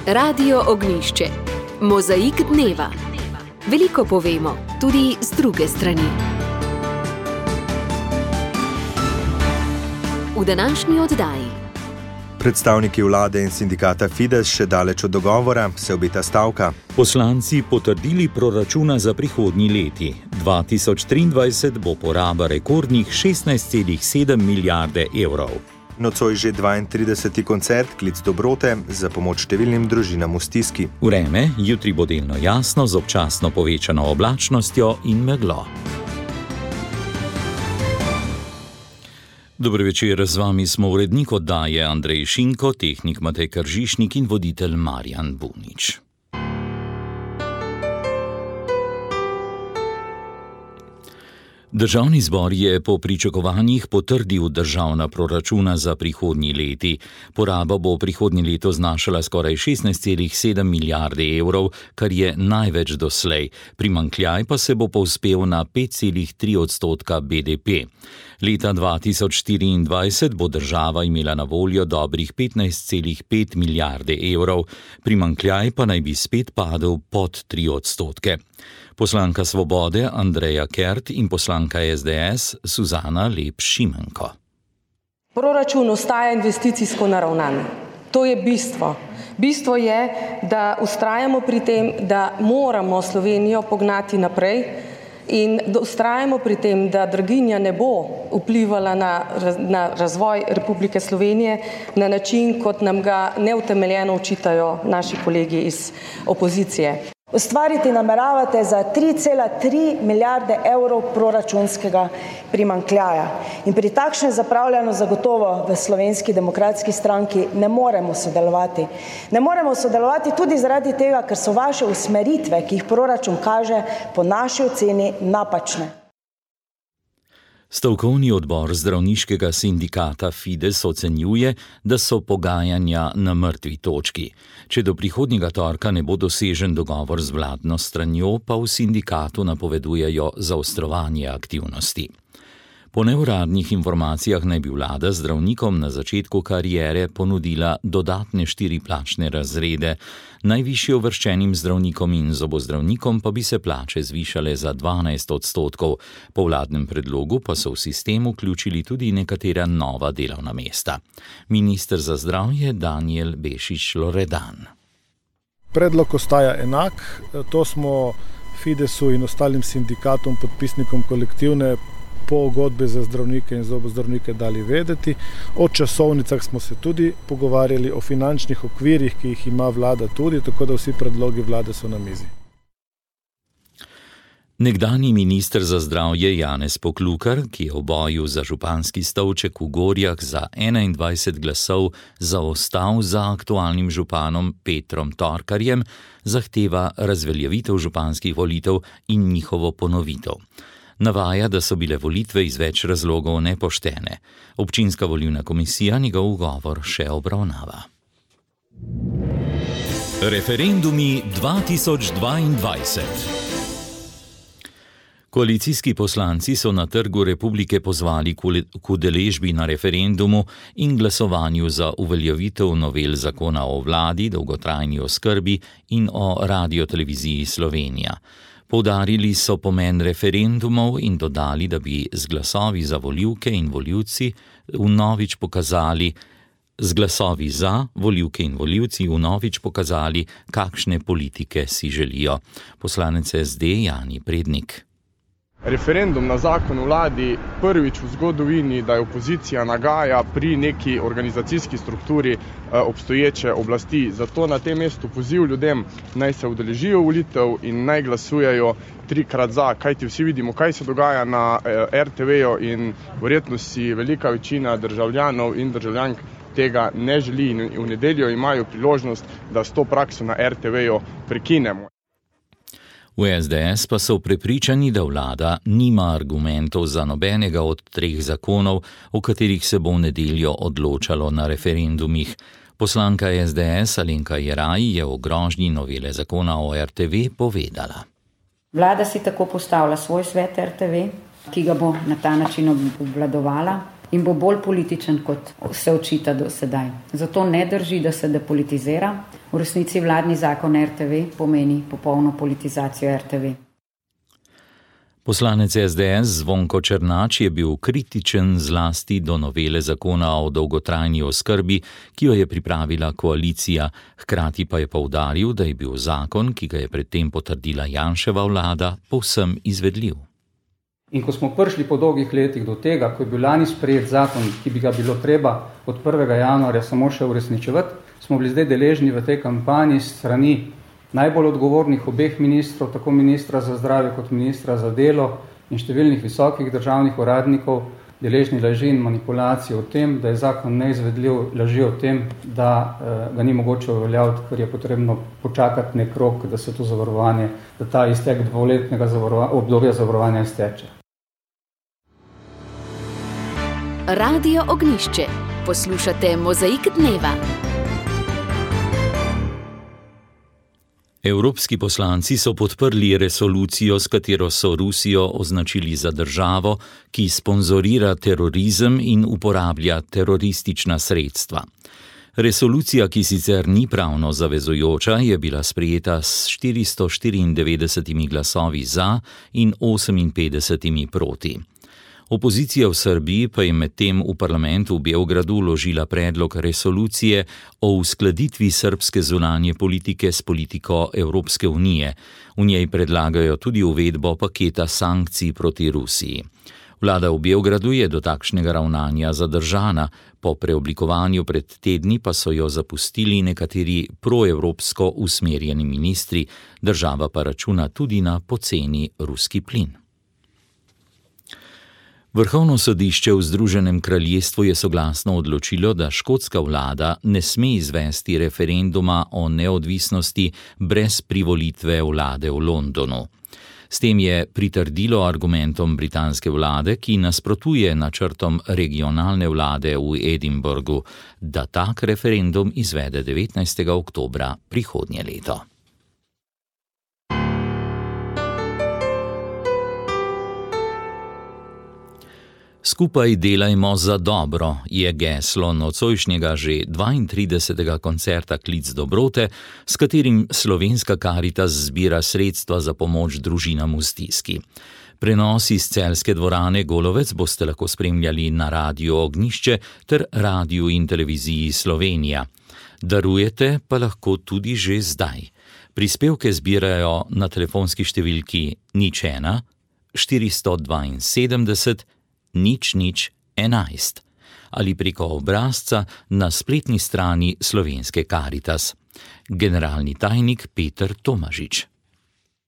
Radio Ognjišče. Mozaik dneva. Veliko povemo, tudi z druge strani. V današnji oddaji. Predstavniki vlade in sindikata Fides še daleč od dogovora, se obeta stavka. Poslanci potrdili proračuna za prihodnji leti. 2023 bo poraba rekordnih 16,7 milijarde evrov. Nocoj že 32. koncert Klic dobrote za pomoč številnim družinam v stiski. Vreme jutri bo delno jasno z občasno povečano oblačnostjo in meglo. Dobro večer, z vami smo urednik oddaje Andrej Šinko, tehnik Matej Kržišnik in voditelj Marjan Bunič. Državni zbor je po pričakovanjih potrdil državna proračuna za prihodnji leti. Poraba bo prihodnje leto znašala skoraj 16,7 milijarde evrov, kar je največ doslej. Primanjkljaj pa se bo povzpel na 5,3% BDP. Leta 2024 bo država imela na voljo dobrih 15,5 milijarde evrov, primanjkljaj pa naj bi spet padel pod 3%. Poslanka Svobode Andreja Kert in poslanka SDS Suzana Lep Šimenko. Proračun ostaja investicijsko naravnan. To je bistvo. Bistvo je, da vztrajamo pri tem, da moramo Slovenijo pognati naprej in da vztrajamo pri tem, da draginja ne bo vplivala na razvoj Republike Slovenije na način, kot nam ga neutemeljeno očitajo naši kolegi iz opozicije. Ustvariti nameravate za 3,3 milijarde evrov proračunskega primanjkljaja. In pri takšnem zapravljanju zagotovo v Slovenski demokratski stranki ne moremo sodelovati. Ne moremo sodelovati tudi zaradi tega, ker so vaše usmeritve, ki jih proračun kaže, po naši oceni napačne. Stavkovni odbor zdravniškega sindikata Fides ocenjuje, da so pogajanja na mrtvi točki. Če do prihodnjega torka ne bo dosežen dogovor z vladno stranjo, pa v sindikatu napovedujejo zaostrovanje aktivnosti. Po neuradnih informacijah naj bi vlada zdravnikom na začetku kariere ponudila dodatne 4 plačne razrede, najvišje uvrščenim zdravnikom in zobozdravnikom pa bi se plače zvišale za 12%. Po vladnem predlogu pa so v sistem vključili tudi nekatera nova delovna mesta. Minister za zdravje Danijel Bešič Loredan. Predlog ostaja enak, to smo Fidesu in ostalim sindikatom, podpisnikom kolektivne pogodbe za zdravnike in zobozdravnike dali vedeti. O časovnicah smo se tudi pogovarjali, o finančnih okvirih, ki jih ima vlada tudi, tako da vsi predlogi vlade so na mizi. Nekdanji minister za zdravje Janez Poklukar, ki je v boju za županski stolček v Gorjah za 21 glasov zaostal za aktualnim županom Petrom Torkarjem, zahteva razveljavitev županskih volitev in njihovo ponovitev. Navaja, da so bile volitve iz več razlogov nepoštene. Občinska volilna komisija njegov ugovor še obravnava. Referendumi 2022. Koalicijski poslanci so na Trgu Republike pozvali k udeležbi na referendumu in glasovanju za uveljavitev novel zakona o vladi, dolgotrajni oskrbi in o Radioteleviziji Slovenija. Poudarili so pomen referendumov in dodali, da bi z glasovi za volivke in volivci vnovič pokazali, kakšne politike si želijo. Poslanec SD Jani Prednik. Referendum na zakon o vladi prvič v zgodovini, da je opozicija nagaja pri neki organizacijski strukturi obstoječe oblasti. Zato na tem mestu poziv ljudem naj se udeležijo volitev in naj glasujejo 3-krat za, kajti vsi vidimo, kaj se dogaja na RTV-ju in verjetno si velika večina državljanov in državljank tega ne želi in v nedeljo imajo priložnost, da s to prakso na RTV-ju prekinemo. V SDS pa so prepričani, da vlada nima argumentov za nobenega od 3 zakonov, o katerih se bo v nedeljo odločalo na referendumih. Poslanka SDS Alenka Jeraj je o grožnji novele zakona o RTV povedala. Vlada si tako postavlja svoj svet RTV, ki ga bo na ta način obvladovala. in bo bolj političen, kot se očita do sedaj. Zato ne drži, da se depolitizira. V resnici vladni zakon RTV pomeni popolno politizacijo RTV. Poslanec SDS Zvonko Černač je bil kritičen zlasti do novele zakona o dolgotrajni oskrbi, ki jo je pripravila koalicija, hkrati pa je poudaril, da je bil zakon, ki ga je predtem potrdila Janševa vlada, povsem izvedljiv. In ko smo prišli po dolgih letih do tega, ko je bil lani sprejet zakon, ki bi ga bilo treba od 1. januarja samo še uresničevati, smo bili zdaj deležni v tej kampanji strani najbolj odgovornih obeh ministrov, tako ministra za zdravje kot ministra za delo in številnih visokih državnih uradnikov, deležni laži in manipulacij o tem, da je zakon neizvedljiv, laži o tem, da ga ni mogoče uveljaviti, ker je potrebno počakati nek rok, da se to zavarovanje, da ta iztek dvoletnega obdobja zavarovanja izteče. Radio Ognjišče. Poslušate Mozaik dneva. Evropski poslanci so podprli resolucijo, s katero so Rusijo označili za državo, ki sponzorira terorizem in uporablja teroristična sredstva. Resolucija, ki sicer ni pravno zavezujoča, je bila sprejeta s 494 glasovi za in 58 proti. Opozicija v Srbiji pa je medtem v parlamentu v Beogradu vložila predlog resolucije o uskladitvi srbske zunanje politike s politiko Evropske unije. V njej predlagajo tudi uvedbo paketa sankcij proti Rusiji. Vlada v Beogradu je do takšnega ravnanja zadržana, po preoblikovanju pred tedni pa so jo zapustili nekateri proevropsko usmerjeni ministri, država pa računa tudi na poceni ruski plin. Vrhovno sodišče v Združenem kraljestvu je soglasno odločilo, da škotska vlada ne sme izvesti referenduma o neodvisnosti brez privolitve vlade v Londonu. S tem je pritrdilo argumentom britanske vlade, ki nasprotuje načrtom regionalne vlade v Edinburgu, da tak referendum izvede 19. oktobra prihodnje leto. Skupaj delajmo za dobro je geslo nocojšnjega že 32. koncerta Klic dobrote, s katerim Slovenska Karitas zbira sredstva za pomoč družinam v stiski. Prenos iz celjske dvorane Golovec boste lahko spremljali na Radiu Ognjišče ter Radiu in televiziji Slovenija. Darujete pa lahko tudi že zdaj. Prispevke zbirajo na telefonski številki 01 472 0011 ali preko obrazca na spletni strani Slovenske Karitas. Generalni tajnik Peter Tomažič.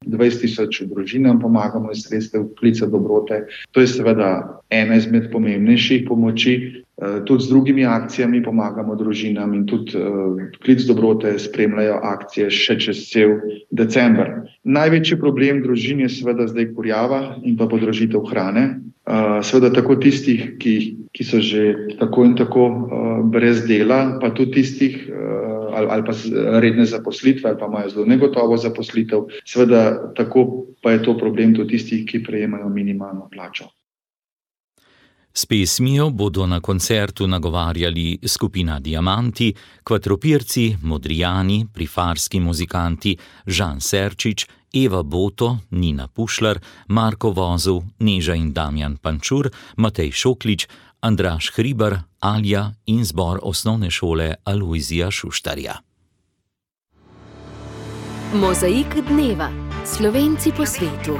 20.000 družinam pomagamo iz sredstev Klica dobrote. To je seveda ena izmed pomembnejših pomoči. Tudi z drugimi akcijami pomagamo družinam in tudi Klic dobrote spremljajo akcije še čez cel december. Največji problem družin je seveda zdaj kurjava in pa podražitev hrane. Seveda tako tistih, ki so že tako in tako brez dela, pa tudi tistih ali pa redne zaposlitve ali pa imajo zelo negotovo zaposlitev. Seveda tako pa je to problem tudi tistih, ki prejemajo minimalno plačo. S pesmijo bodo na koncertu nagovarjali skupina Diamanti, Kvatropirci, Modrijani, Prifarski muzikanti, Žan Serčič, Eva Boto, Nina Pušlar, Marko Vozel, Neža in Damjan Pančur, Matej Šoklič, Andraž Hribar, Alja in zbor osnovne šole Alojzija Šuštarja. Mozaik dneva. Slovenci po svetu.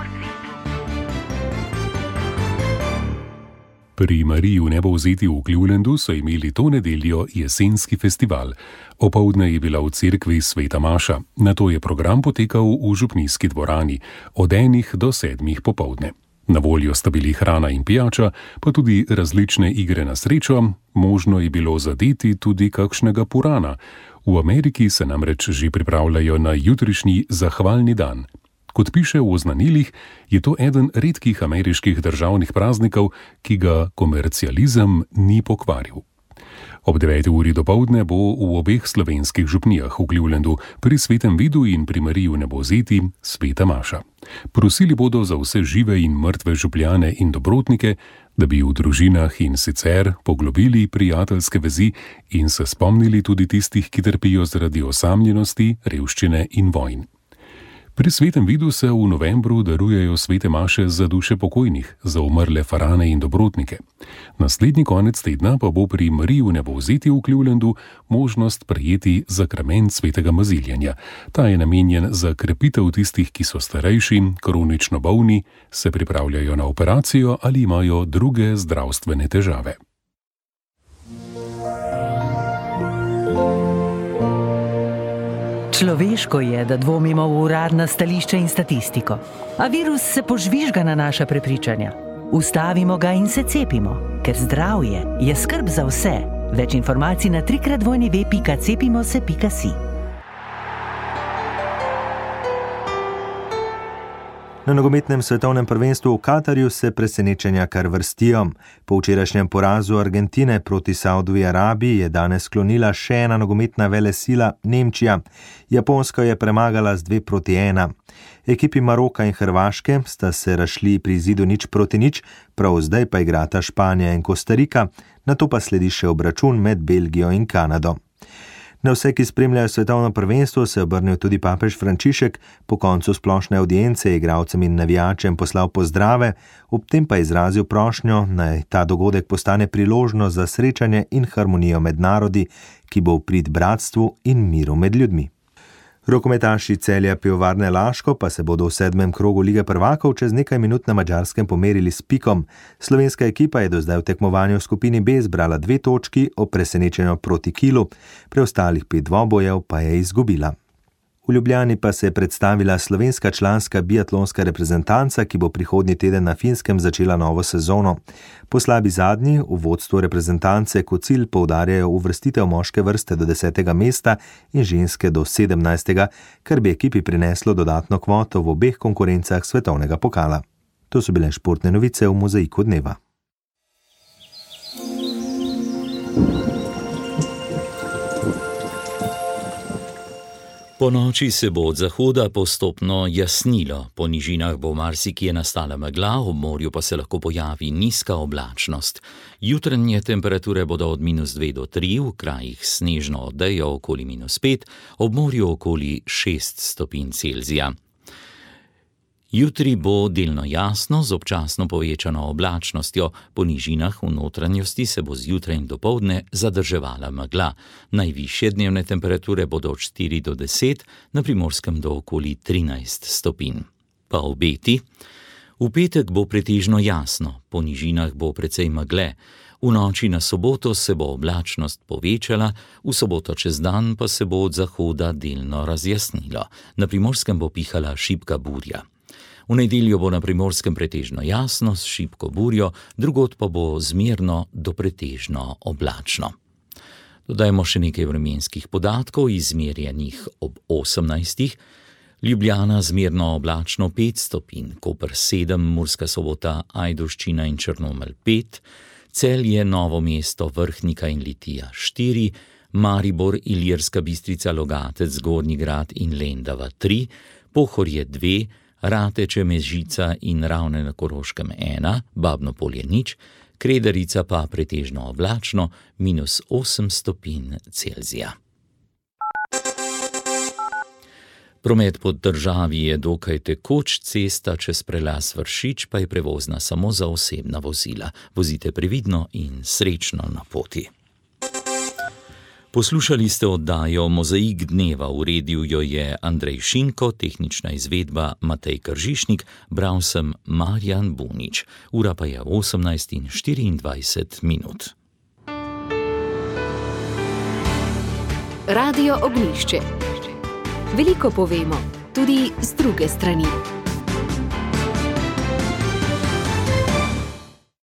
Pri Mariji v Nebovzeti v Clevelandu so imeli to nedeljo jesenski festival. Opoldne je bila v cerkvi Sveta Maša, nato je program potekal v župnijski dvorani od 1 do 7 popoldne. Na voljo sta bili hrana in pijača, pa tudi različne igre na srečo, možno je bilo zadeti tudi kakšnega purana. V Ameriki se namreč že pripravljajo na jutrišnji zahvalni dan. Kot piše v oznanilih, je to eden redkih ameriških državnih praznikov, ki ga komercializem ni pokvaril. Ob 9. uri dopoldne bo v obeh slovenskih župnijah v Clevelandu pri Svetem Vidu in pri Mariji v Nebovzeti Sveta Maša. Prosili bodo za vse žive in mrtve župljane in dobrotnike, da bi v družinah in sicer poglobili prijateljske vezi in se spomnili tudi tistih, ki trpijo zaradi osamljenosti, revščine in vojn. Pri Svetem vidu se v novembru darujejo svete maše za duše pokojnih, za umrle farane in dobrotnike. Naslednji konec tedna pa bo pri Mariji Vnebovzeti v Clevelandu možnost prejeti zakrament svetega maziljenja. Ta je namenjen za krepitev tistih, ki so starejši, kronično bolni, se pripravljajo na operacijo ali imajo druge zdravstvene težave. Človeško je, da dvomimo v uradna stališča in statistiko. A virus se požvižga na naša prepričanja. Ustavimo ga in se cepimo, ker zdravje je skrb za vse. Več informacij na www.cepimose.si. Na nogometnem svetovnem prvenstvu v Katarju se presenečenja kar vrstijo. Po včerajšnjem porazu Argentine proti Saudovi Arabiji je danes sklonila še ena nogometna velesila Nemčija. Japonska je premagala z 2-1. Ekipi Maroka in Hrvaške sta se razšli pri izidu 0-0, prav zdaj pa igrata Španija in Kostarika, nato pa sledi še obračun med Belgijo in Kanado. Na vse, ki spremljajo svetovno prvenstvo, se je obrnil tudi papež Frančišek. Po koncu splošne avdience je igralcem in navijačem poslal pozdrave, ob tem pa izrazil prošnjo, naj ta dogodek postane priložnost za srečanje in harmonijo med narodi, ki bo v prid bratstvu in miru med ljudmi. Rokometaši Celja Pivovarne Laško pa se bodo v 7. krogu Lige prvakov čez nekaj minut na Madžarskem pomerili s Pikom. Slovenska ekipa je do zdaj v tekmovanju v skupini B zbrala 2 točki ob presenečenju proti Kilu, preostalih 5 dvobojev pa je izgubila. V Ljubljani pa se je predstavila slovenska članska biatlonska reprezentanca, ki bo prihodnji teden na Finskem začela novo sezono. Po slabi zadnji v vodstvu reprezentance kot cilj poudarjajo uvrstitev moške vrste do 10. mesta in ženske do 17., kar bi ekipi prineslo dodatno kvoto v obeh konkurencah svetovnega pokala. To so bile športne novice v Mozaiku dneva. Po noči se bo od zahoda postopno jasnilo, po nižinah bo marsikje nastala megla, ob morju pa se lahko pojavi nizka oblačnost. Jutranje temperature bodo od -2 do 3, v krajih snežno odejo okoli -5, ob morju okoli 6 stopinj Celzija. Jutri bo delno jasno z občasno povečano oblačnostjo, po nižinah v notranjosti se bo zjutraj in dopoldne zadrževala megla. Najvišje dnevne temperature bodo od 4 do 10, na Primorskem do okoli 13 stopinj. Pa obeti. V petek bo pretežno jasno, po nižinah bo precej megle. V noči na soboto se bo oblačnost povečala, v soboto čez dan pa se bo od zahoda delno razjasnilo. Na Primorskem bo pihala šibka burja. V nedeljo bo na Primorskem pretežno jasno s šibko burjo, drugod pa bo zmerno do pretežno oblačno. Dodajmo še nekaj vremenskih podatkov, izmerjenih ob 18. Ljubljana zmerno oblačno 5 stopinj, Koper 7, Murska Sobota, Ajdovščina in Črnomelj 5, Celje, Novo mesto, Vrhnika in Litija 4, Maribor, Ilirska Bistrica, Logatec, Zgornji Grad in Lendava 3, Pohorje 2, Rateče, Mežica in Ravne na Koroškem 1, Babno Polje 0, Kredarica pa pretežno oblačno, -8 stopinj Celzija. Promet po državi je dokaj tekoč, cesta čez prelaz Vršič pa je prevozna samo za osebna vozila. Vozite previdno in srečno na poti. Poslušali ste oddajo Mozaik dneva, uredil jo je Andrej Šinko, tehnična izvedba Matej Kržišnik, bral sem Marjan Bunič. Ura pa je 18:24. Radio Ognjišče. Veliko povemo, tudi z druge strani.